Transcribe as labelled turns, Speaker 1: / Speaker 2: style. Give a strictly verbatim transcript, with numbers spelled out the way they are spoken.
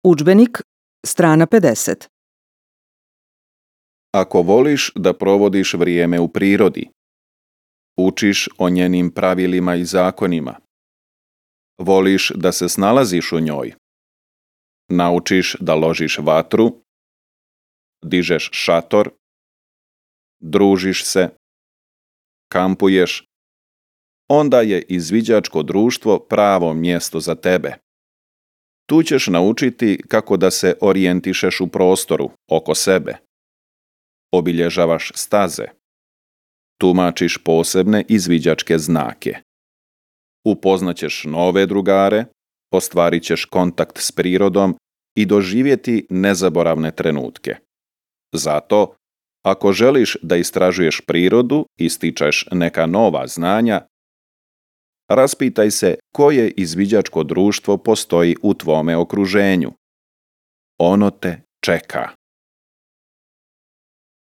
Speaker 1: Udžbenik, strana pedeset.
Speaker 2: Ako voliš da provodiš vrijeme u prirodi, učiš o njenim pravilima i zakonima, voliš da se snalaziš u njoj, naučiš da ložiš vatru, dižeš šator, družiš se, kampuješ, onda je izviđačko društvo pravo mjesto za tebe. Tu ćeš naučiti kako da se orijentišeš u prostoru oko sebe. Obilježavaš staze. Tumačiš posebne izviđačke znake. Upoznaćeš nove drugare, ostvarit ćeš kontakt s prirodom i doživjeti nezaboravne trenutke. Zato, ako želiš da istražuješ prirodu i stičeš neka nova znanja, raspitaj se koje izviđačko društvo postoji u tvome okruženju. Ono te čeka.